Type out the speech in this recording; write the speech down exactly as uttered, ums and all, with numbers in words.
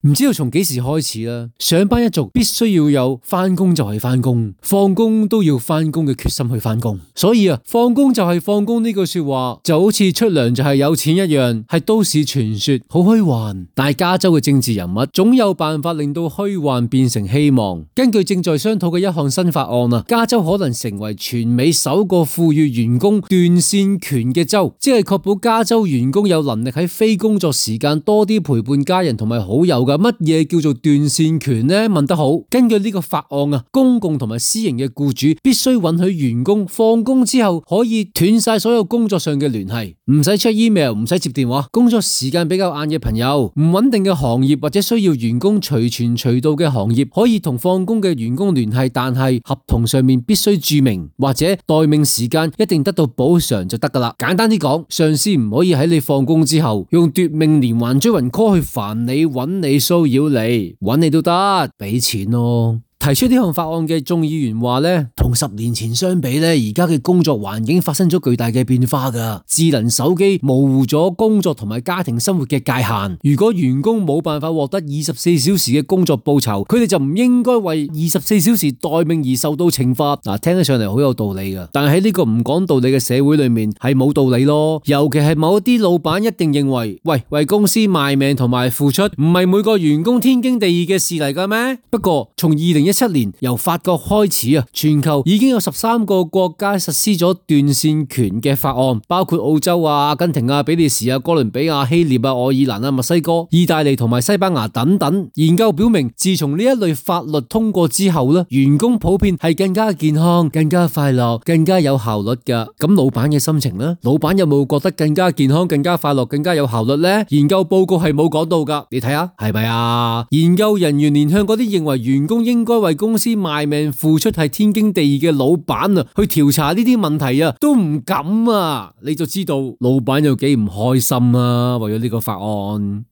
唔知道從幾時開始啦，上班一族必須要有返工就係返工，放工都要返工嘅決心去返工。所以啊，放工就係放工呢句說話就好似出糧就係有錢一樣，係都市傳說，好虛幻。但係加州嘅政治人物總有辦法令到虛幻變成希望。根據正在商討嘅一項新法案啊，加州可能成為全美首個賦予員工斷線權嘅州，即係確保加州員工有能力喺非工作時間多啲陪伴家人同埋好友噶。乜嘢叫做斷線權呢？問得好。根據呢個法案啊，公共同埋私營嘅僱主必須允許員工放工之後可以斷晒所有工作上嘅聯繫，唔使 check email， 唔使接電話。工作時間比較晏嘅朋友，唔穩定嘅行業或者需要員工隨傳隨到嘅行業，可以同放工嘅員工聯繫，但係合同上面必須注明或者待命時間一定得到補償就得噶啦。簡單啲講，上司唔可以喺你放工之後用奪命連環追魂 call 去煩你、揾你、騷擾你、揾你都得，俾錢咯。提出呢項法案嘅眾議員話咧，同十年前相比咧，而家嘅工作環境發生咗巨大嘅變化噶。智能手機模糊咗工作同埋家庭生活嘅界限。如果員工冇辦法獲得二十四小時嘅工作報酬，佢哋就唔應該為二十四小時待命而受到懲罰。嗱，聽得上嚟好有道理噶，但係喺呢個唔講道理嘅社會裏面係冇道理咯。尤其係某一啲老闆一定認為，喂，為公司賣命同埋付出，唔係每個員工天經地義嘅事嚟噶咩？不過從二零一七年由法國開始啊，全球已經有十三個國家實施咗斷線權嘅法案，包括澳洲啊、阿根廷啊、比利時啊、哥倫比亞、希臘啊、愛爾蘭啊、墨西哥、意大利同埋西班牙等等。研究表明，自從呢一類法律通過之後咧，員工普遍係更加健康、更加快樂、更加有效率噶。咁老闆嘅心情呢？老闆有冇覺得更加健康、更加快樂、更加有效率呢？研究報告係冇講到噶，你睇下係咪啊？研究人員連向嗰啲認為員工應該為公司賣命付出係天經地義嘅老闆啊，去調查呢啲問題啊，都唔敢啊，你就知道老闆有幾唔開心啊，為咗呢個法案。